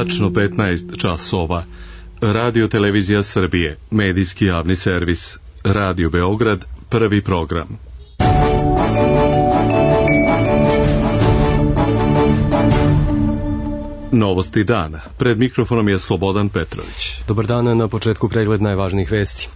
Tačno 15 časova. Radio Televizija Srbije, medijski javni servis. Radio Beograd, prvi program. Novosti dana. Pred mikrofonom je Slobodan Petrović. Dobar dan, na početku pregled najvažnijih vesti.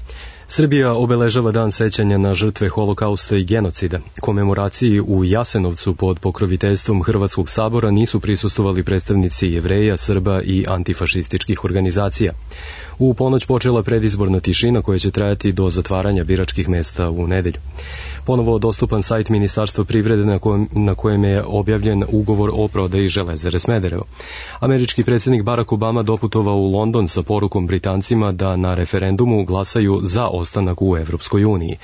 Srbija obeležava dan sećanja na žrtve holokausta i genocida. Komemoraciji u Jasenovcu pod pokroviteljstvom Hrvatskog sabora nisu prisustvovali predstavnici Jevreja, Srba i antifašističkih organizacija. U ponoć počela predizborna tišina koja će trajati do zatvaranja biračkih mesta u nedelju. Ponovo dostupan sajt Ministarstva privrede na kojem je objavljen ugovor o prodaji Železare Smederevo. Američki predsjednik Barack Obama doputovao u London sa porukom Britancima da na referendumu glasaju za ostanak u Evropskoj uniji.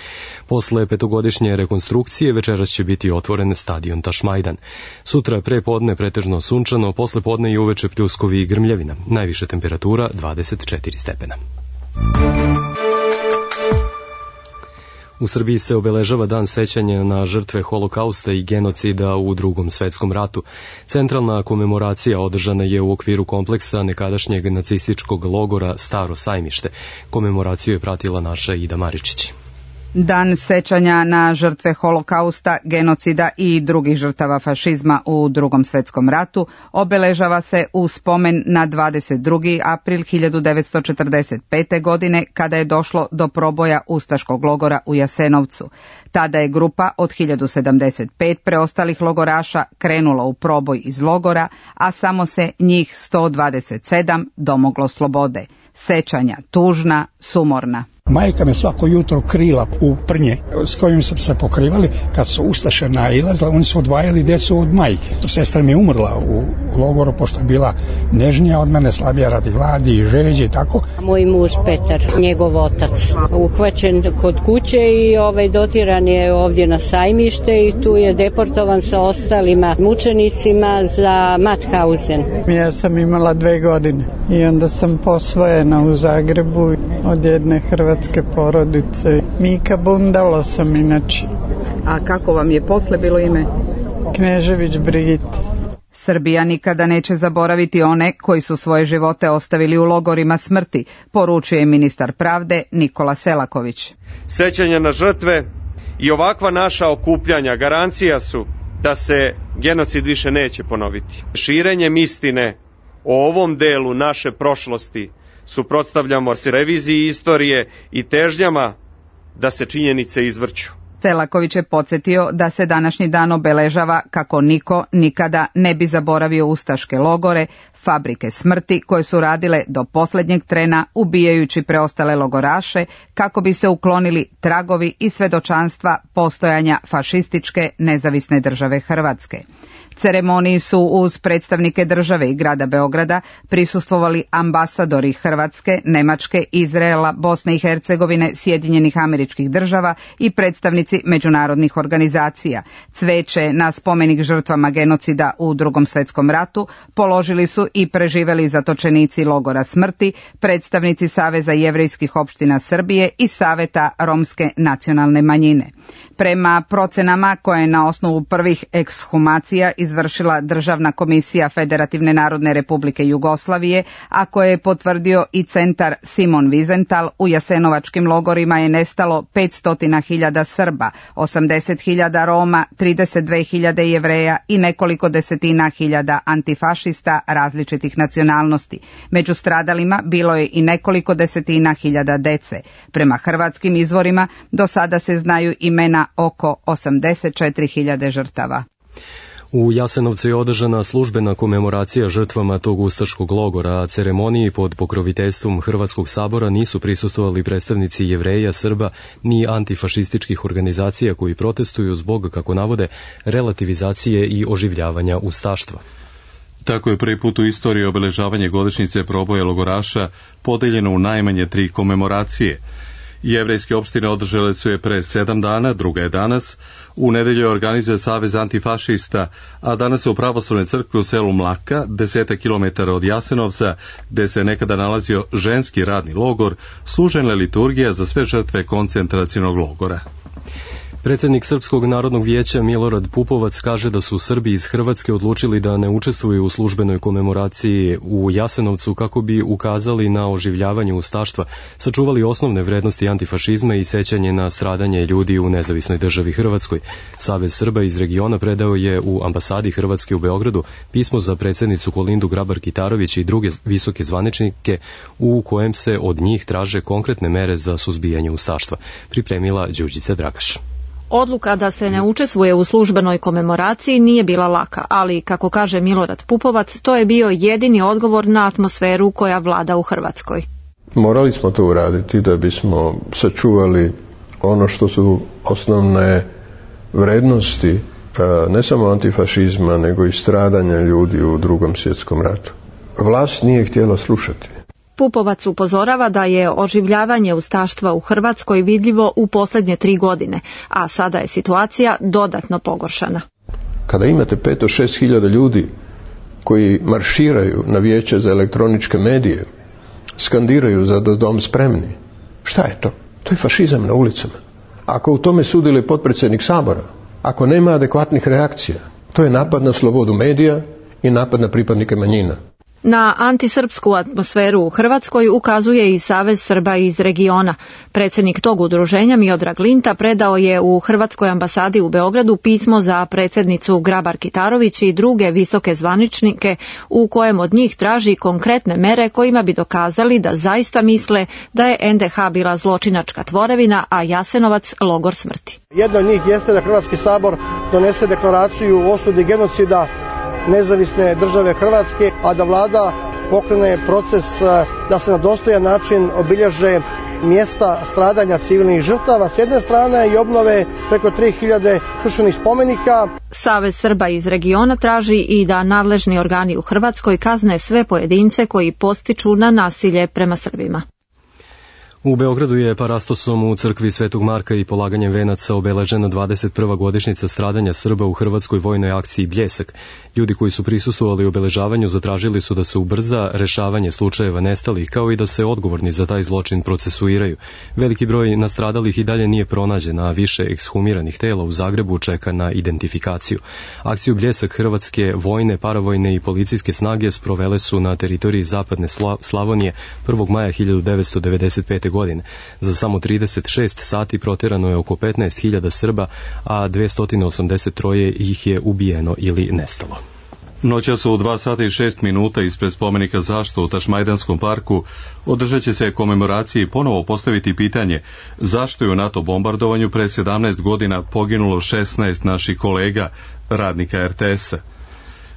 Posle petogodišnje rekonstrukcije večeras će biti otvoren stadion Tašmajdan. Sutra pre podne pretežno sunčano, posle podne i uveče pljuskovi i grmljavina. Najviša temperatura 24 stepena. U Srbiji se obeležava dan sećanja na žrtve holokausta i genocida u Drugom svetskom ratu. Centralna komemoracija održana je u okviru kompleksa nekadašnjeg nacističkog logora Staro Sajmište. Komemoraciju je pratila naša Ida Maričić. Dan sećanja na žrtve holokausta, genocida i drugih žrtava fašizma u Drugom svetskom ratu obeležava se u spomen na 22. april 1945. godine kada je došlo do proboja ustaškog logora u Jasenovcu. Tada je grupa od 1075 preostalih logoraša krenula u proboj iz logora, a samo se njih 127 domoglo slobode. Sećanja tužna, sumorna. Majka me svako jutro krila u prnje s kojim su se pokrivali. Kad su ustaše nailazile, oni su odvajali djecu od majke. Sestra mi je umrla u logoru, pošto je bila nežnija od mene, slabija radi gladi i žeđe i tako. Moj muž Petar, njegov otac, uhvaćen kod kuće i dotiran je ovdje na Sajmište i tu je deportovan sa ostalima mučenicima za Mauthausen. Ja sam imala 2 godine i onda sam posvojena u Zagrebu od jedne hrvatske porodice. Mika Bundalo sam inače. A kako vam je posle bilo ime? Knežević Brigita. Srbija nikada neće zaboraviti one koji su svoje živote ostavili u logorima smrti, poručuje ministar pravde Nikola Selaković. Sećanje na žrtve i ovakva naša okupljanja garancija su da se genocid više neće ponoviti. Širenjem istine o ovom delu naše prošlosti suprotstavljamo se reviziji istorije i težnjama da se činjenice izvrću. Selaković je podsjetio da se današnji dan obeležava kako niko nikada ne bi zaboravio ustaške logore, fabrike smrti koje su radile do posljednjeg trena ubijajući preostale logoraše kako bi se uklonili tragovi i svedočanstva postojanja fašističke nezavisne države Hrvatske. Ceremoniji su uz predstavnike države i grada Beograda prisustvovali ambasadori Hrvatske, Nemačke, Izraela, Bosne i Hercegovine, Sjedinjenih Američkih Država i predstavnici međunarodnih organizacija. Cveće na spomenik žrtvama genocida u Drugom svetskom ratu položili su i preživeli zatočenici logora smrti, predstavnici Saveza jevrejskih opština Srbije i Saveta romske nacionalne manjine. Prema procenama koje je na osnovu prvih ekshumacija izvršila Državna komisija Federativne narodne republike Jugoslavije, a koje je potvrdio i centar Simon Wiesenthal, u jasenovačkim logorima je nestalo 500.000 Srba, 80.000 Roma, 32.000 Jevreja i nekoliko desetina hiljada antifašista različitih nacionalnosti. Među stradalima bilo je i nekoliko desetina hiljada dece. Prema hrvatskim izvorima do sada se znaju imena oko 84.000 žrtava. U Jasenovcu je održana službena komemoracija žrtvama tog ustaškog logora, a ceremoniji pod pokroviteljstvom Hrvatskog sabora nisu prisustvovali predstavnici Jevreja, Srba ni antifašističkih organizacija koji protestuju zbog, kako navode, relativizacije i oživljavanja ustaštva. Tako je prvi put u istoriji obeležavanje godišnjice proboja logoraša podeljeno u najmanje 3 komemoracije. Jevrejske opštine održale su je pre 7 dana, druga je danas. U nedelju organizuje Savez antifašista, a danas se u pravoslavnoj crkvi u selu Mlaka, 10 km od Jasenovca, gde se nekada nalazio ženski radni logor, služena liturgija za sve žrtve koncentracionog logora. Predsjednik Srpskog narodnog vijeća Milorad Pupovac kaže da su Srbi iz Hrvatske odlučili da ne učestvuju u službenoj komemoraciji u Jasenovcu kako bi ukazali na oživljavanje ustaštva, sačuvali osnovne vrednosti antifašizma i sećanje na stradanje ljudi u nezavisnoj državi Hrvatskoj. Savez Srba iz regiona predao je u ambasadi Hrvatske u Beogradu pismo za predsjednicu Kolindu Grabar-Kitarović i druge visoke zvaničnike u kojem se od njih traže konkretne mere za suzbijanje ustaštva. Pripremila Đurđica Dragaš. Odluka da se ne učestvuje u službenoj komemoraciji nije bila laka, ali, kako kaže Milorad Pupovac, to je bio jedini odgovor na atmosferu koja vlada u Hrvatskoj. Morali smo to uraditi da bismo sačuvali ono što su osnovne vrednosti ne samo antifašizma, nego i stradanja ljudi u Drugom svjetskom ratu. Vlast nije htjela slušati. Pupovac upozorava da je oživljavanje ustaštva u Hrvatskoj vidljivo u posljednje 3 godine, a sada je situacija dodatno pogoršana. Kada imate 5-6 hiljada ljudi koji marširaju na vijeće za elektroničke medije, skandiraju za dom spremni, šta je to? To je fašizam na ulicama. Ako u tome sudjeluje potpredsjednik Sabora, ako nema adekvatnih reakcija, to je napad na slobodu medija i napad na pripadnike manjina. Na antisrpsku atmosferu u Hrvatskoj ukazuje i Savez Srba iz regiona. Predsjednik tog udruženja Miodrag Linta predao je u Hrvatskoj ambasadi u Beogradu pismo za predsjednicu Grabar-Kitarović i druge visoke zvaničnike u kojem od njih traži konkretne mere kojima bi dokazali da zaista misle da je NDH bila zločinačka tvorevina, a Jasenovac logor smrti. Jedno od njih jeste da Hrvatski sabor donese deklaraciju o osudi genocida nezavisne države Hrvatske, a da vlada pokrene proces da se na dostojan način obilježe mjesta stradanja civilnih žrtava s jedne strane i obnove preko 3000 srušenih spomenika. Savez Srba iz regiona traži i da nadležni organi u Hrvatskoj kazne sve pojedince koji postiču na nasilje prema Srbima. U Beogradu je parastosom u crkvi Svetog Marka i polaganjem venaca obeležena 21. godišnjica stradanja Srba u hrvatskoj vojnoj akciji Bljesak. Ljudi koji su prisustvovali obeležavanju zatražili su da se ubrza rešavanje slučajeva nestalih, kao i da se odgovorni za taj zločin procesuiraju. Veliki broj nastradalih i dalje nije pronađen, a više ekshumiranih tela u Zagrebu čeka na identifikaciju. Akciju Bljesak hrvatske vojne, paravojne i policijske snage sprovele su na teritoriji zapadne Slavonije 1. maja 1995. godine. Za samo 36 sati proterano je oko 15.000 Srba, a 283 ih je ubijeno ili nestalo. Noćas u 2 sata i 6 minuta ispred spomenika Zašto u Tašmajdanskom parku održat će se komemoracije i ponovo postaviti pitanje zašto je u NATO bombardovanju pre 17 godina poginulo 16 naših kolega, radnika RTS-a.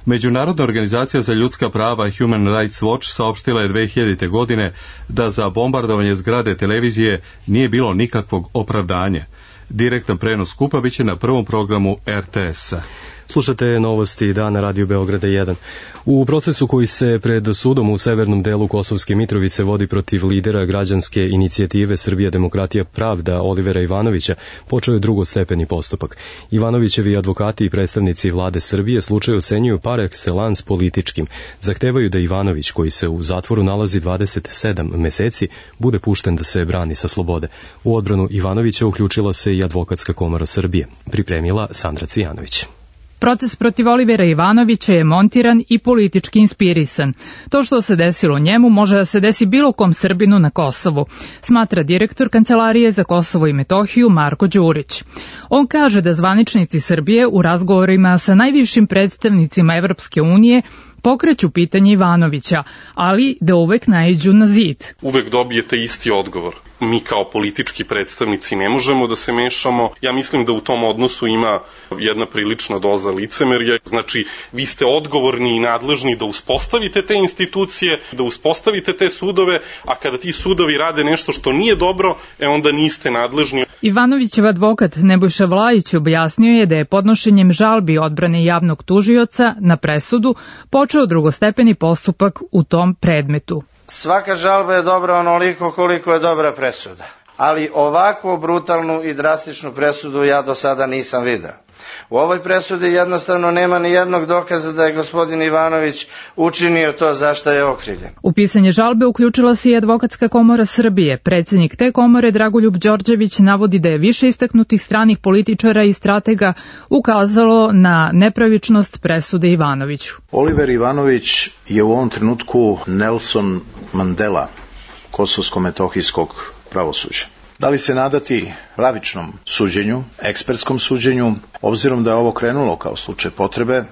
Međunarodna organizacija za ljudska prava Human Rights Watch saopštila je 2000. godine da za bombardovanje zgrade televizije nije bilo nikakvog opravdanja. Direktan prenos skupa biće na prvom programu RTS-a. Slušate novosti dana Radio Beograda 1. U procesu koji se pred sudom u severnom delu Kosovske Mitrovice vodi protiv lidera građanske inicijative Srbija demokratija pravda Olivera Ivanovića počeo je drugostepeni postupak. Ivanovićevi advokati i predstavnici vlade Srbije slučaj ocenjuju par excellence političkim. Zahtevaju da Ivanović, koji se u zatvoru nalazi 27 meseci, bude pušten da se brani sa slobode. U odbranu Ivanovića uključila se i Advokatska komora Srbije. Pripremila Sandra Cvijanović. Proces protiv Olivera Ivanovića je montiran i politički inspirisan. To što se desilo njemu može da se desi bilo kom Srbinu na Kosovu, smatra direktor Kancelarije za Kosovo i Metohiju Marko Đurić. On kaže da zvaničnici Srbije u razgovorima sa najvišim predstavnicima Evropske unije pokreću pitanje Ivanovića, ali da uvek naiđu na zid. Uvek dobijete isti odgovor. Mi kao politički predstavnici ne možemo da se mešamo. Ja mislim da u tom odnosu ima jedna prilična doza licemerja. Znači, vi ste odgovorni i nadležni da uspostavite te institucije, da uspostavite te sudove, a kada ti sudovi rade nešto što nije dobro, onda niste nadležni. Ivanovićev advokat Nebojša Vlajić objasnio je da je podnošenjem žalbi odbrane javnog tužioca na presudu počeo drugostepeni postupak u tom predmetu. Svaka žalba je dobra onoliko koliko je dobra presuda. ali ovakvu brutalnu i drastičnu presudu ja do sada nisam video. U ovoj presudi jednostavno nema ni jednog dokaza da je gospodin Ivanović učinio to za što je okrivljen. U pisanje žalbe uključila se i Advokatska komora Srbije. Predsednik te komore Dragoljub Đorđević navodi da je više istaknutih stranih političara i stratega ukazalo na nepravičnost presude Ivanoviću. Oliver Ivanović je u ovom trenutku Nelson Mandela kosovsko-metohijskog pravosuđa. Da li se nadati pravičnom suđenju, ekspertskom suđenju, obzirom da je ovo krenulo kao slučaj potrebe,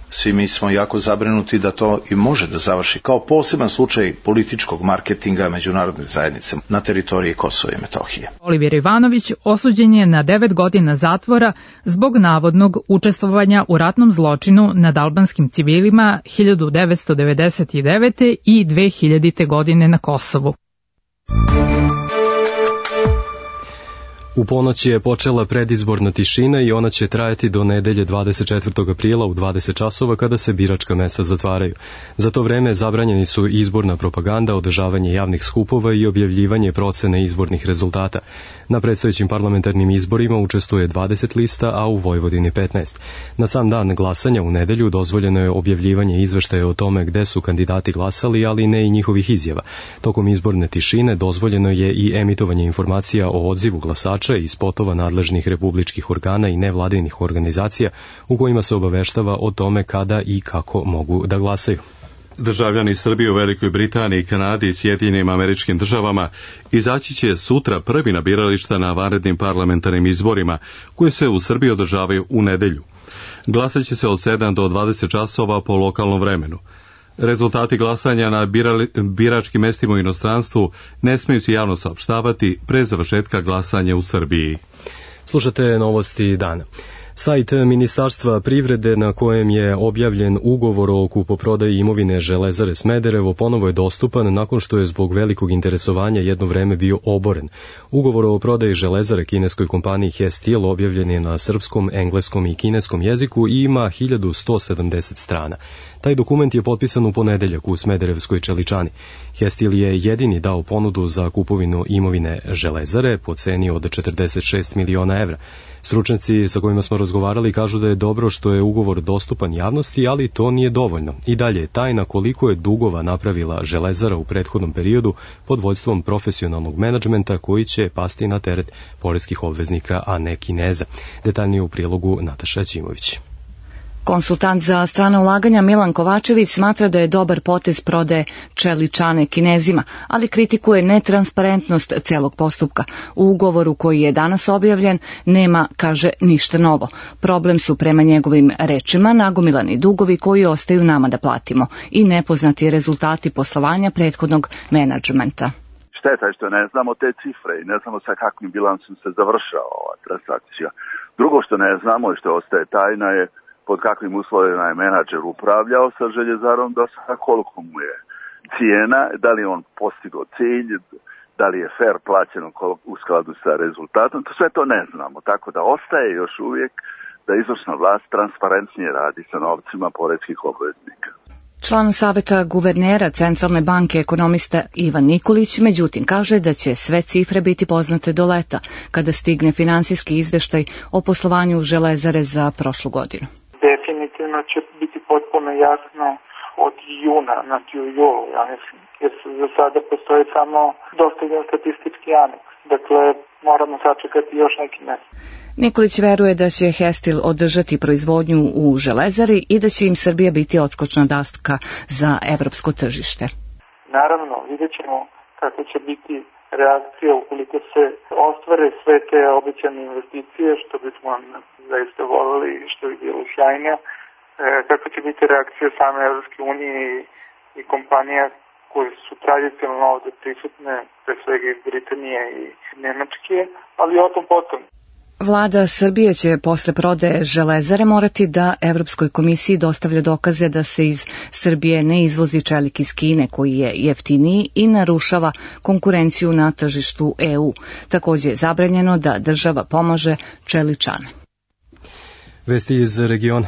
svi mi smo jako zabrinuti da to i može da završi kao poseban slučaj političkog marketinga međunarodne zajednice na teritoriji Kosova i Metohije. Oliver Ivanović osuđen je na 9 godina zatvora zbog navodnog učestvovanja u ratnom zločinu nad albanskim civilima 1999. i 2000. godine na Kosovu. U ponoć je počela predizborna tišina i ona će trajati do nedelje 24. aprila u 20 časova kada se biračka mesta zatvaraju. Za to vreme zabranjeni su izborna propaganda, održavanje javnih skupova i objavljivanje procene izbornih rezultata. Na predstojećim parlamentarnim izborima učestvuje 20 lista, a u Vojvodini 15. Na sam dan glasanja u nedelju dozvoljeno je objavljivanje izveštaja o tome gde su kandidati glasali, ali ne i njihovih izjava. Tokom izborne tišine dozvoljeno je i emitovanje informacija o odzivu glasača i spotova nadležnih republičkih organa i nevladinih organizacija u kojima se obaveštava o tome kada i kako mogu da glasaju. Državljani Srbije u Velikoj Britaniji, Kanadi i Sjedinjenim Američkim Državama izaći će sutra prvi na birališta na vanrednim parlamentarnim izborima koje se u Srbiji održavaju u nedelju. Glasat će se od 7 do 20 časova po lokalnom vremenu. Rezultati glasanja na biračkim mestima u inostranstvu ne smiju se javno saopštavati pre završetka glasanja u Srbiji. Slušate novosti dana. Sajt Ministarstva privrede na kojem je objavljen ugovor o kupoprodaji imovine Železare Smederevo ponovo je dostupan nakon što je zbog velikog interesovanja jedno vreme bio oboren. Ugovor o prodaji Železare kineskoj kompaniji He Steel objavljen je na srpskom, engleskom i kineskom jeziku i ima 1170 strana. Taj dokument je potpisan u ponedeljak u Smederevskoj Čeličani. He Steel je jedini dao ponudu za kupovinu imovine Železare po ceni od 46 miliona evra. Stručnjaci sa kojima smo razgovarali kažu da je dobro što je ugovor dostupan javnosti, ali to nije dovoljno. I dalje je tajna koliko je dugova napravila Železara u prethodnom periodu pod vođstvom profesionalnog menadžmenta koji će pasti na teret poreskih obveznika, a ne Kineza. Detaljnije u prilogu Nataša Ćimović. Konsultant za strana ulaganja Milan Kovačević smatra da je dobar potez prodaje Čeličane Kinezima, ali kritikuje netransparentnost celog postupka. U ugovoru koji je danas objavljen nema, kaže, ništa novo. Problem su prema njegovim rečima nagomilani dugovi koji ostaju nama da platimo i nepoznati rezultati poslovanja prethodnog menadžmenta. Šteta je što ne znamo te cifre i ne znamo sa kakvim bilansom se završava ova transakcija. Drugo što ne znamo i što ostaje tajna je pod kakvim uslovima je menadžer upravljao sa Željezarom do sada, koliko mu je cijena, da li je on postigao cilj, da li je fair plaćeno u skladu sa rezultatom, to sve to ne znamo, tako da ostaje još uvijek da izvršna vlast transparentnije radi sa novcima poreskih obveznika. Član saveta guvernera Centralne banke ekonomista Ivan Nikolić, međutim, kaže da će sve cifre biti poznate do leta, kada stigne finansijski izveštaj o poslovanju Železare za prošlu godinu. Definitivno će biti potpuno jasno od juna, znači u julu, ja mislim, jer za sada postoji samo dostavljen statistički aneks. Dakle, moramo sačekati još neki mesec. Nikolić veruje da će He Steel održati proizvodnju u Železari i da će im Srbija biti odskočna daska za evropsko tržište. Naravno, vidjet ćemo kako će biti reakcija ukoliko se ostvare sve te obećane investicije, što bismo zaista volili i što bi bilo sjajno, kako će biti reakcija same Evropske unije i kompanija koje su tradicionalno ovde prisutne, pre svega iz Britanije i Nemačke, ali o tom potom. Vlada Srbije će posle prodaje Železare morati da Evropskoj komisiji dostavlja dokaze da se iz Srbije ne izvozi čelik iz Kine koji je jeftiniji i narušava konkurenciju na tržištu EU. Također je zabranjeno da država pomaže Čeličane. Vesti iz regiona.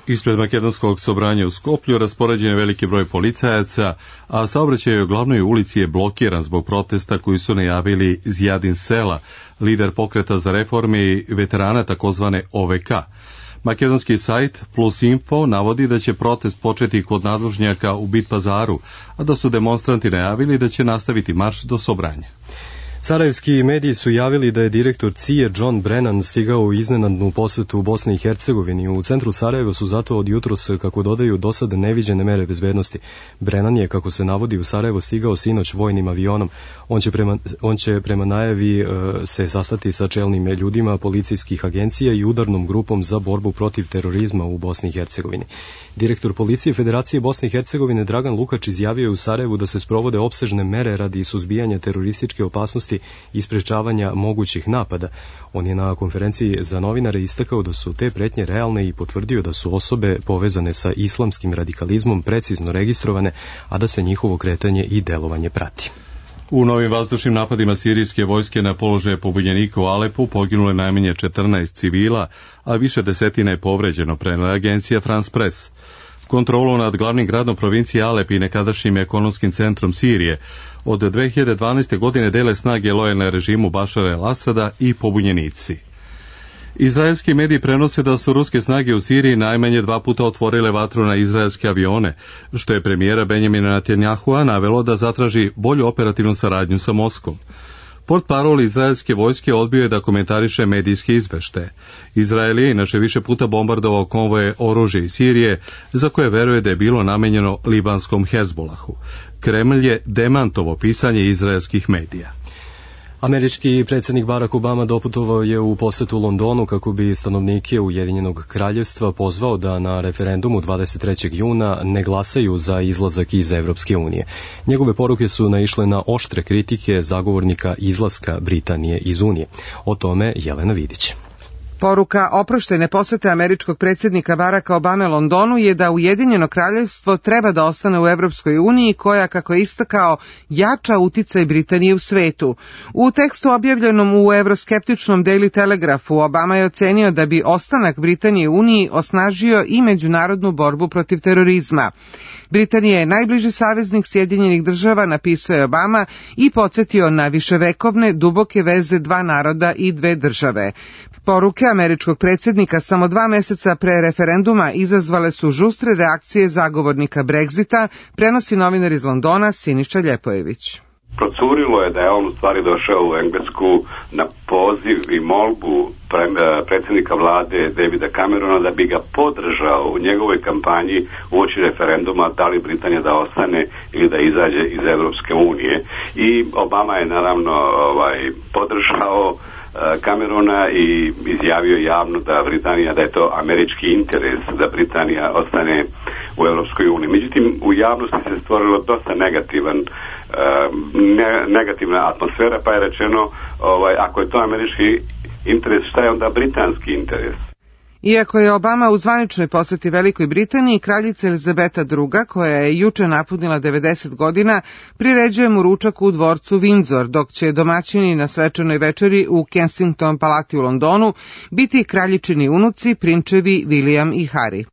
Ispred makedonskog sobranja u Skoplju raspoređen je veliki broj policajaca, a saobraćaj u glavnoj ulici je blokiran zbog protesta koji su najavili Zjadin Sela, lider pokreta za reforme i veterana takozvane OVK. Makedonski sajt Plus Info navodi da će protest početi kod nadvožnjaka u Bit Pazaru, a da su demonstranti najavili da će nastaviti marš do Sobranja. Sarajevski mediji su javili da je direktor CIA John Brennan stigao u iznenadnu posetu u Bosni i Hercegovini. U centru Sarajeva su zato od jutros, kako dodaju, do sada neviđene mere bezbednosti. Brennan je, kako se navodi, u Sarajevo stigao sinoć vojnim avionom. On će prema najavi se sastati sa čelnim ljudima policijskih agencija i udarnom grupom za borbu protiv terorizma u Bosni i Hercegovini. Direktor policije Federacije Bosne i Hercegovine Dragan Lukač izjavio je u Sarajevu da se sprovode opsežne mere radi suzbijanja terorističke opasnosti i sprečavanja mogućih napada. On je na konferenciji za novinare istakao da su te pretnje realne i potvrdio da su osobe povezane sa islamskim radikalizmom precizno registrovane, a da se njihovo kretanje i delovanje prati. U novim vazdušnim napadima sirijske vojske na položaje pobunjenika u Alepu poginule najmanje 14 civila, a više desetina je povređeno, prenela agencija France Press. Kontrolu nad glavnim gradom provincije Alep i nekadašnjim ekonomskim centrom Sirije od 2012. godine dele snage lojalne režimu Bašara el-Asada i pobunjenici. Izraelski mediji prenose da su ruske snage u Siriji najmanje 2 puta otvorile vatru na izraelske avione, što je premijera Benjamina Netanjahua navelo da zatraži bolju operativnu saradnju sa Moskvom. Portparol izraelske vojske odbio je da komentariše medijske izveštaje. Izrael je inače više puta bombardovao konvoje oružja iz Sirije, za koje veruje da je bilo namenjeno libanskom Hezbolahu. Kremlj je demantovo pisanje izraelskih medija. Američki predsjednik Barack Obama doputovao je u posetu Londonu kako bi stanovnike Ujedinjenog kraljevstva pozvao da na referendumu 23. juna ne glasaju za izlazak iz Evropske unije. Njegove poruke su naišle na oštre kritike zagovornika izlaska Britanije iz Unije. O tome Jelena Vidić. Poruka oproštene posete američkog predsjednika Baracka Obame Londonu je da Ujedinjeno kraljevstvo treba da ostane u Evropskoj uniji koja, kako je istakao, jača uticaj Britanije u svetu. U tekstu objavljenom u evroskeptičnom Daily Telegraphu Obama je ocenio da bi ostanak Britanije u uniji osnažio i međunarodnu borbu protiv terorizma. Britanija je najbliži saveznik Sjedinjenih država, napisao je Obama i podsjetio na viševekovne duboke veze dva naroda i dve države. Poruke američkog predsjednika samo 2 meseca pre referenduma izazvale su žustre reakcije zagovornika Brexita, prenosi novinar iz Londona Siniša Ljepojević. Procurilo je da je on u stvari došao u Englesku na poziv i molbu predsjednika vlade Davida Camerona da bi ga podržao u njegovoj kampanji uoči referenduma da li Britanija da ostane ili da izađe iz Evropske unije. I Obama je naravno podržao Camerona i izjavio javno da da je to američki interes da Britanija ostane u Evropskoj uniji. Međutim, u javnosti se stvorilo dosta negativna atmosfera, pa je rečeno ako je to američki interes, šta je onda britanski interes? Iako je Obama u zvaničnoj poseti Velikoj Britaniji, kraljica Elizabeta II, koja je juče napunila 90 godina, priređuje mu ručak u dvorcu Windsor, dok će domaćini na svečanoj večeri u Kensington palati u Londonu biti kraljičini unuci, prinčevi William i Harry.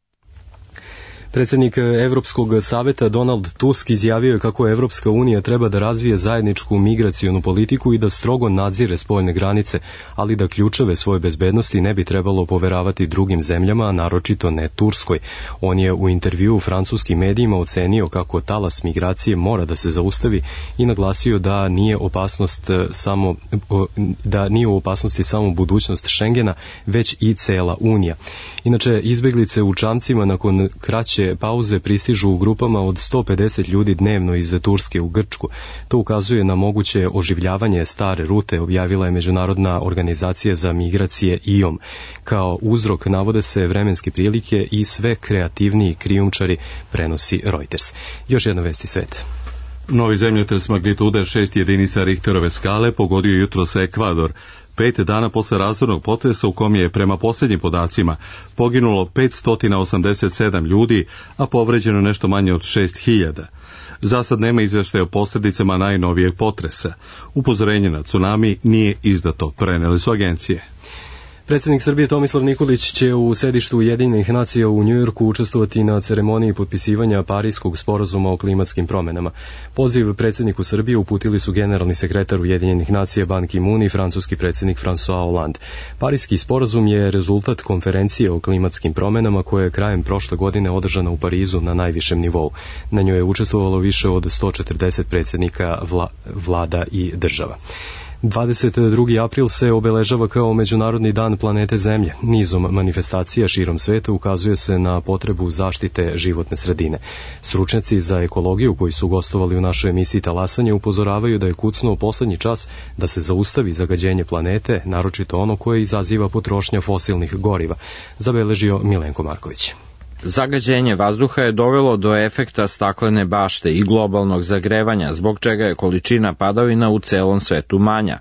Predsjednik Evropskog saveta Donald Tusk izjavio je kako Evropska unija treba da razvije zajedničku migracionu politiku i da strogo nadzire spoljne granice, ali da ključeve svoje bezbednosti ne bi trebalo poveravati drugim zemljama, a naročito ne Turskoj. On je u intervjuu francuskim medijima ocenio kako talas migracije mora da se zaustavi i naglasio da nije u opasnosti samo budućnost Schengena, već i cela Unija. Inače, izbeglice u čamcima nakon kraće pauze pristižu u grupama od 150 ljudi dnevno iz Turske u Grčku. To ukazuje na moguće oživljavanje stare rute, objavila je Međunarodna organizacija za migracije IOM. Kao uzrok navode se vremenske prilike i sve kreativniji krijumčari, prenosi Reuters. Još jedna vest iz sveta. Novi zemljotres magnitude 6 jedinica Richterove skale pogodio jutros Ekvador, 5 dana posle razornog potresa u kom je, prema posljednjim podacima, poginulo 587 ljudi, a povređeno nešto manje od 6000. Zasad nema izveštaja o posljedicama najnovijeg potresa. Upozorenje na tsunami nije izdato, preneli su agencije. Predsjednik Srbije Tomislav Nikolić će u sedištu Ujedinjenih nacija u Njujorku učestvovati na ceremoniji potpisivanja Pariskog sporazuma o klimatskim promenama. Poziv predsjedniku Srbije uputili su generalni sekretar Ujedinjenih nacija Ban Ki-moon i francuski predsjednik François Hollande. Pariski sporazum je rezultat konferencije o klimatskim promenama koja je krajem prošle godine održana u Parizu na najvišem nivou. Na njoj je učestvovalo više od 140 predsjednika vlada i država. 22. april se obeležava kao Međunarodni dan planete Zemlje. Nizom manifestacija širom sveta ukazuje se na potrebu zaštite životne sredine. Stručnjaci za ekologiju koji su gostovali u našoj emisiji Talasanje upozoravaju da je kucnuo poslednji čas da se zaustavi zagađenje planete, naročito ono koje izaziva potrošnja fosilnih goriva, zabeležio Milenko Marković. Zagađenje vazduha je dovelo do efekta staklene bašte i globalnog zagrevanja, zbog čega je količina padavina u celom svetu manja.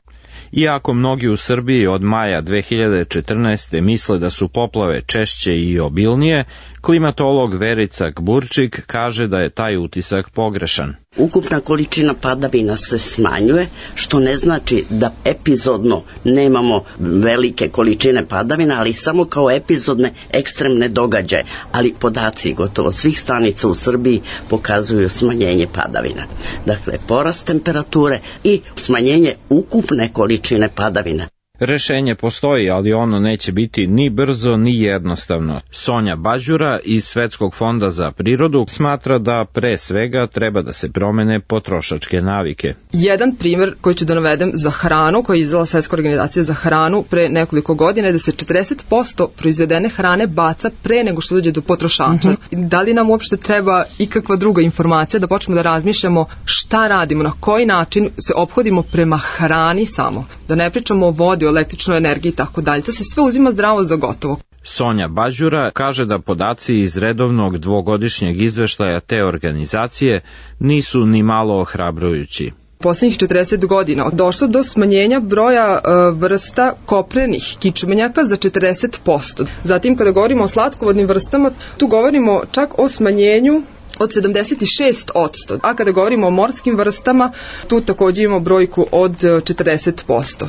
Iako mnogi u Srbiji od maja 2014. misle da su poplave češće i obilnije, klimatolog Verica Gburčik kaže da je taj utisak pogrešan. Ukupna količina padavina se smanjuje, što ne znači da epizodno nemamo velike količine padavina, ali samo kao epizodne ekstremne događaje. Ali podaci gotovo svih stanica u Srbiji pokazuju smanjenje padavina. Dakle, porast temperature i smanjenje ukupne količine padavina. Rešenje postoji, ali ono neće biti ni brzo ni jednostavno. Sonja Bađura iz Svetskog fonda za prirodu smatra da pre svega treba da se promene potrošačke navike. Jedan primer koji ću da navedem za hranu, koji je izdala Svetska organizacija za hranu pre nekoliko godina, je da se 40% proizvedene hrane baca pre nego što dođe do potrošača. Da li nam uopšte treba ikakva druga informacija da počnemo da razmišljamo šta radimo, na koji način se ophodimo prema hrani samo. Da ne pričamo o vodi, o električnoj energiji i tako dalje. To se sve uzima zdravo za gotovo. Sonja Bađura kaže da podaci iz redovnog dvogodišnjeg izveštaja te organizacije nisu ni malo ohrabrujući. Poslednjih 40 godina došlo do smanjenja broja vrsta koprenih kičmenjaka za 40%. Zatim, kada govorimo o slatkovodnim vrstama, tu govorimo čak o smanjenju od 76%, a kada govorimo o morskim vrstama, tu također imamo brojku od 40%.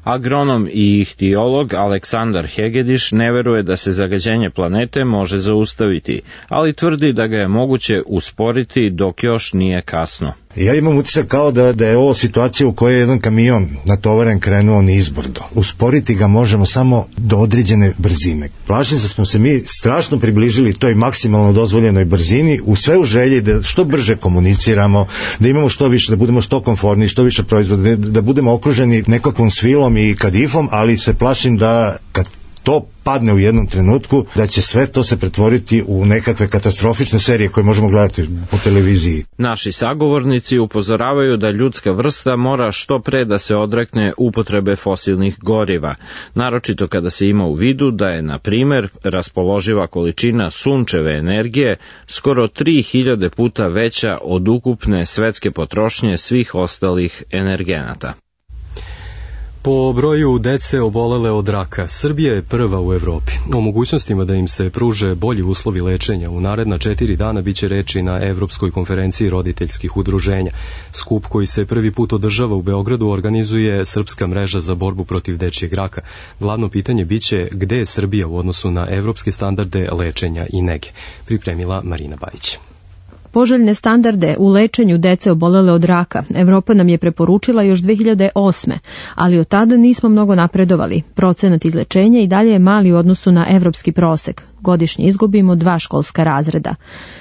Agronom i ihtiolog Aleksandar Hegediš ne veruje da se zagađenje planete može zaustaviti, ali tvrdi da ga je moguće usporiti dok još nije kasno. Ja imam utisak kao da je ovo situacija u kojoj je jedan kamion natovaren krenuo nizbrdo. Usporiti ga možemo samo do određene brzine. Plašim se smo se mi strašno približili toj maksimalno dozvoljenoj brzini, u sve u želji da što brže komuniciramo, da imamo što više, da budemo što komfortniji, što više proizvoda, da budemo okruženi nekakvom svilom i kadifom, ali se plašim da kad to padne u jednom trenutku, da će sve to se pretvoriti u nekakve katastrofične serije koje možemo gledati po televiziji. Naši sagovornici upozoravaju da ljudska vrsta mora što pre da se odrekne upotrebe fosilnih goriva, naročito kada se ima u vidu da je, na primer, raspoloživa količina sunčeve energije skoro 3000 puta veća od ukupne svetske potrošnje svih ostalih energenata. Po broju dece obolele od raka, Srbija je prva u Evropi. O mogućnostima da im se pruže bolji uslovi lečenja u naredna 4 dana biće reči na Evropskoj konferenciji roditeljskih udruženja. Skup koji se prvi put održava u Beogradu organizuje Srpska mreža za borbu protiv dečijeg raka. Glavno pitanje biće gde je Srbija u odnosu na evropske standarde lečenja i nege. Pripremila Marina Bajić. Poželjne standarde u lečenju dece obolele od raka Evropa nam je preporučila još 2008. ali od tada nismo mnogo napredovali. Procenat izlečenja i dalje je mali u odnosu na evropski prosek. Godišnje izgubimo 2 školska razreda.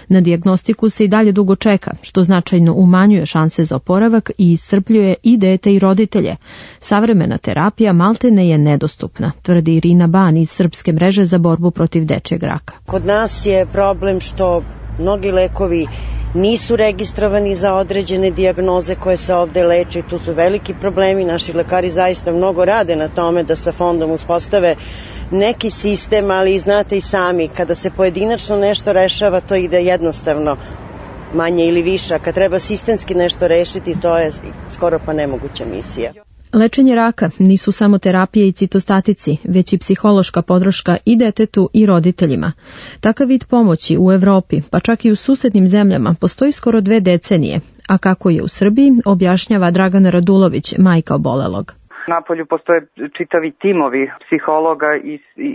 Na dijagnostiku se i dalje dugo čeka, što značajno umanjuje šanse za oporavak i iscrpljuje i dete i roditelje. Savremena terapija maltene je nedostupna, tvrdi Irina Ban iz Srpske mreže za borbu protiv dečijeg raka. Kod nas je problem što mnogi lekovi nisu registrovani za određene dijagnoze koje se ovde leče. Tu su veliki problemi. Naši lekari zaista mnogo rade na tome da sa fondom uspostave neki sistem, ali znate i sami, kada se pojedinačno nešto rešava, to ide jednostavno manje ili više. Kad treba sistemski nešto rešiti, to je skoro pa nemoguća misija. Lečenje raka nisu samo terapije i citostatici, već i psihološka podrška i detetu i roditeljima. Takav vid pomoći u Evropi, pa čak i u susednim zemljama, postoji skoro 2 decenije, a kako je u Srbiji, objašnjava Dragana Radulović, majka obolelog. Napolju postoje čitavi timovi psihologa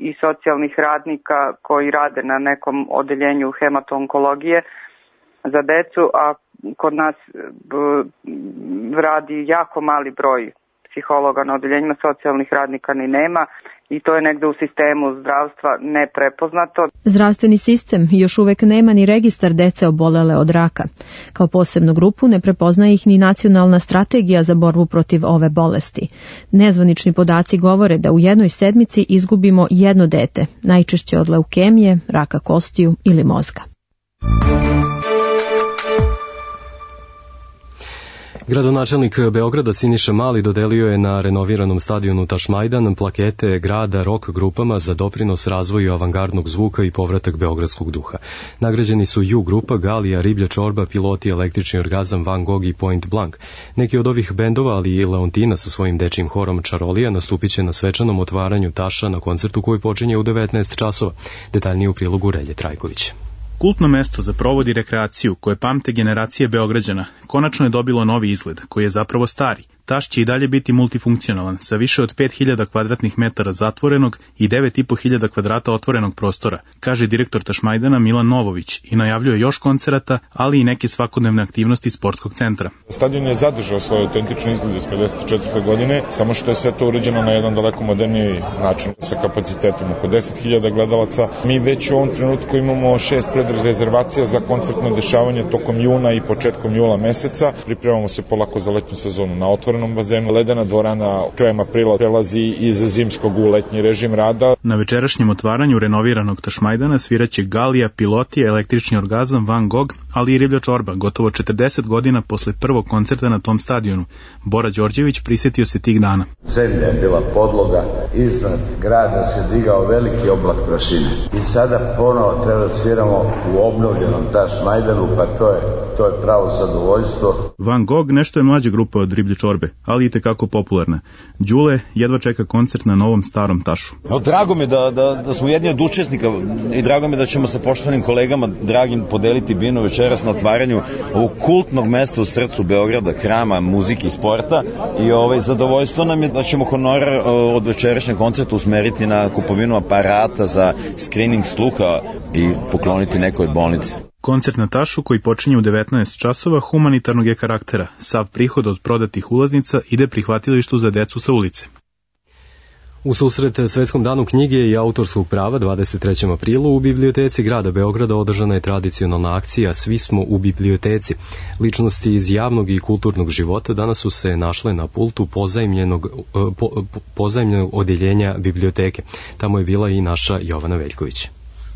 i socijalnih radnika koji rade na nekom odeljenju hemato-onkologije za decu, a kod nas radi jako mali broj psihologa na odeljenjima, socijalnih radnika ni nema i to je negde u sistemu zdravstva neprepoznato. Zdravstveni sistem još uvek nema ni registar dece obolele od raka. Kao posebnu grupu ne prepoznaje ih ni nacionalna strategija za borbu protiv ove bolesti. Nezvanični podaci govore da u jednoj sedmici izgubimo jedno dete, najčešće od leukemije, raka kostiju ili mozga. Gradonačelnik Beograda Siniša Mali dodelio je na renoviranom stadionu Tašmajdan plakete grada rock grupama za doprinos razvoju avangardnog zvuka i povratak beogradskog duha. Nagrađeni su U grupa, Galija, Riblja čorba, Piloti, Električni orgazam, Van Gogh i Point Blank. Neki od ovih bendova, ali i Leontina sa svojim dečijim horom Čarolija, nastupit će na svečanom otvaranju Taša na koncertu koji počinje u 19 časova. Detaljnije u prilogu Relje Trajković. Kultno mesto za provod i rekreaciju koje pamte generacije Beograđana konačno je dobilo novi izgled, koji je zapravo stari. Taš će i dalje biti multifunkcionalan, sa više od 5000 kvadratnih metara zatvorenog i 9500 kvadrata otvorenog prostora, kaže direktor Tašmajdana Milan Novović i najavljuje još koncerata, ali i neke svakodnevne aktivnosti sportskog centra. Stadion je zadržao svoj autentični izgled iz 54. godine, samo što je sve to urađeno na jedan daleko moderniji način, sa kapacitetom oko 10.000 gledalaca. Mi već u ovom trenutku imamo 6 predrezervacija za koncertno dešavanje tokom juna i početkom jula meseca. Pripremamo se polako za letnju sezonu na otvorenom bazenu. Ledena dvorana krajem aprila prelazi iz zimskog u letnji režim rada. Na večerašnjem otvaranju renoviranog Tašmajdana sviraće Galija, Piloti, Električni orgazam, Van Gogh, ali i Riblja čorba, gotovo 40 godina posle prvog koncerta na tom stadionu. Bora Đorđević prisjetio se tih dana. Zemlja je bila podloga, iznad grada se digao veliki oblak prašine. I sada ponovo treba da sviramo u obnovljenom Tašmajdanu, pa to je pravo zadovoljstvo. Van Gogh nešto je mlađa grupa od Riblje čorbe, ali i tekako popularna. Đule jedva čeka koncert na novom starom Tašu. Drago mi da smo jedni od učesnika i drago mi da ćemo sa poštovanim kolegama dragim podeliti binu večeras na otvaranju ovog kultnog mesta u srcu Beograda, hrama muzike i sporta i zadovoljstvo nam je da ćemo honorar od večerašnjeg koncerta usmeriti na kupovinu aparata za screening sluha i pokloniti nekoj bolnici. Koncert na Tašu, koji počinje u 19 časova, humanitarnog je karaktera. Sav prihod od prodatih ulaznica ide prihvatilištu za decu sa ulice. U susret Svetskom danu knjige i autorskog prava 23. aprilu u biblioteci grada Beograda održana je tradicionalna akcija Svi smo u biblioteci. Ličnosti iz javnog i kulturnog života danas su se našle na pultu pozajmljenog odeljenja biblioteke. Tamo je bila i naša Jovana Veljković.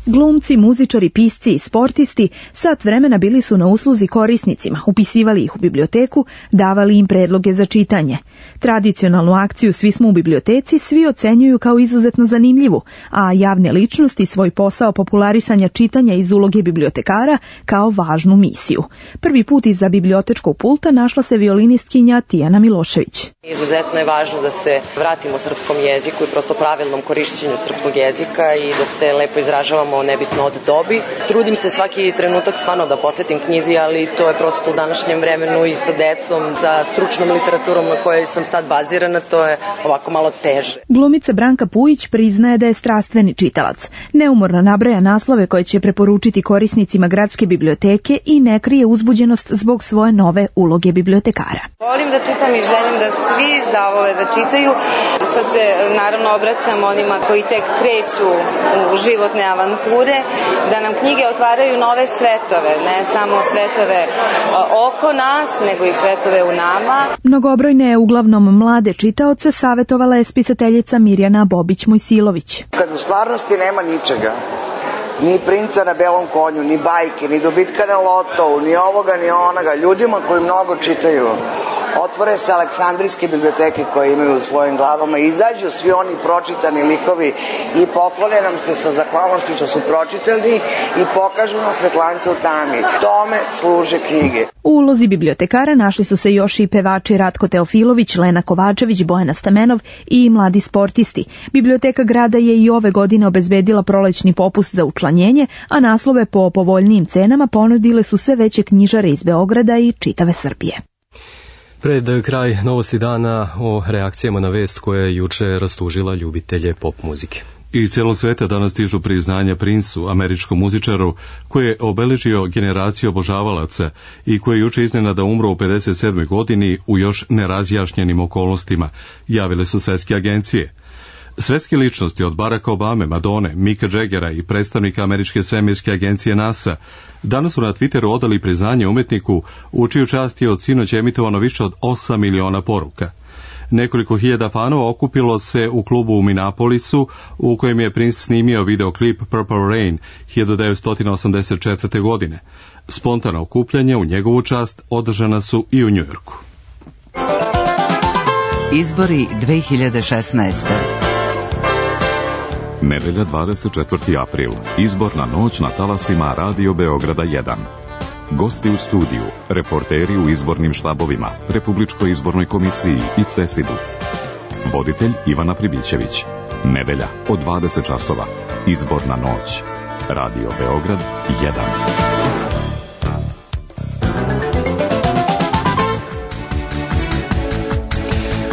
Glumci, muzičari, pisci i sportisti sat vremena bili su na usluzi korisnicima, upisivali ih u biblioteku, davali im predloge za čitanje. Tradicionalnu akciju Svi smo u biblioteci svi ocenjuju kao izuzetno zanimljivu, a javne ličnosti svoj posao popularisanja čitanja iz uloge bibliotekara kao važnu misiju. Prvi put iza bibliotečkog pulta našla se violinistkinja Tijana Milošević. Izuzetno je važno da se vratimo srpskom jeziku i prosto pravilnom korišćenju srpskog jezika i da se lepo izražavamo nebitno od dobi. Trudim se svaki trenutak stvarno da posvetim knjizi, ali to je prosto u današnjem vremenu i sa decom, sa stručnom literaturom na kojoj sam sad bazirana, to je ovako malo teže. Glumica Branka Pujić priznaje da je strastveni čitalac. Neumorno nabraja naslove koje će preporučiti korisnicima gradske biblioteke i ne krije uzbuđenost zbog svoje nove uloge bibliotekara. Volim da čitam i želim da svi zavole da čitaju. Sad se naravno obraćam onima koji tek kreću u životne avanture, da nam knjige otvaraju nove svetove, ne samo svetove oko nas, nego i svetove u nama. Mnogobrojne, uglavnom mlade čitaoce savjetovala je spisateljica Mirjana Bobić-Mojsilović. Kad u stvarnosti nema ničega, ni princa na belom konju, ni bajke, ni dobitka na lotovu, ni ovoga, ni onoga, ljudima koji mnogo čitaju, otvore se Aleksandrijske biblioteke koje imaju u svojim glavama, izađu svi oni pročitani likovi i poklone nam se sa zahvalnošću što su pročitani i pokažu nam svetlance u tami. Tome služe knjige. U ulozi bibliotekara našli su se još i pevači Ratko Teofilović, Lena Kovačević, Bojana Stamenov i mladi sportisti. Biblioteka grada je i ove godine obezbedila prolećni popust za učlanjenje, a naslove po povoljnijim cenama ponudile su sve veće knjižare iz Beograda i čitave Srbije. Pred kraj novosti dana o reakcijama na vest koja je juče rastužila ljubitelje pop muzike. I celog sveta danas stižu priznanja Princu, američkom muzičaru, koji je obeležio generaciju obožavalaca i koji je juče iznenada umro u 57. godini u još nerazjašnjenim okolnostima, javile su svetske agencije. Svetske ličnosti od Baracka Obame, Madone, Micka Jaggera i predstavnika američke svemirske agencije NASA danas su na Twitteru odali priznanje umetniku u čiju čast je od sinoć emitovano više od 8 miliona poruka. Nekoliko hiljada fanova okupilo se u klubu u Minneapolisu u kojem je Prince snimio videoklip Purple Rain 1984. godine. Spontana okupljanja u njegovu čast održana su i u Njujorku. Izbori 2016. Nedelja 24. april. Izborna noć na talasima Radio Beograda 1. Gosti u studiju, reporteri u izbornim štabovima, Republičkoj izbornoj komisiji i CESID-u. Voditelj Ivana Pribićević. Nedelja od 20 časova. Izborna noć. Radio Beograd 1.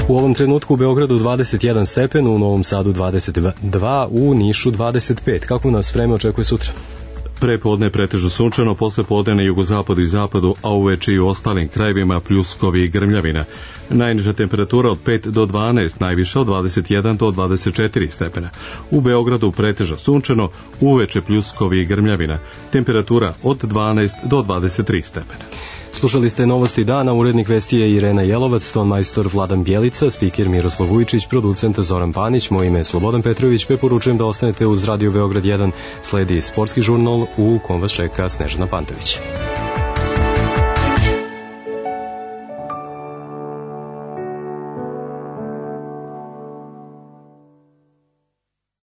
U ovom trenutku u Beogradu 21 stepen, u Novom Sadu 22, u Nišu 25. Kako nas vreme očekuje sutra? Prepodne pretežno sunčano, posle podne na jugozapadu i zapadu, a uveče i u ostalim krajevima pljuskovi i grmljavina. Najniža temperatura od 5 do 12, najviša od 21 do 24 stepena. U Beogradu pretežno sunčano, uveče pljuskovi i grmljavina. Temperatura od 12 do 23 stepena. Slušali ste novosti dana, urednik vesti je Irena Jelovac, ton majstor Vladan Bjelica, spiker Miroslav Vujčić, producent Zoran Panić, moje ime je Slobodan Petrović, preporučujem da ostanete uz Radio Beograd 1, sledi sportski žurnal u kom vas čeka Snežana Pantović.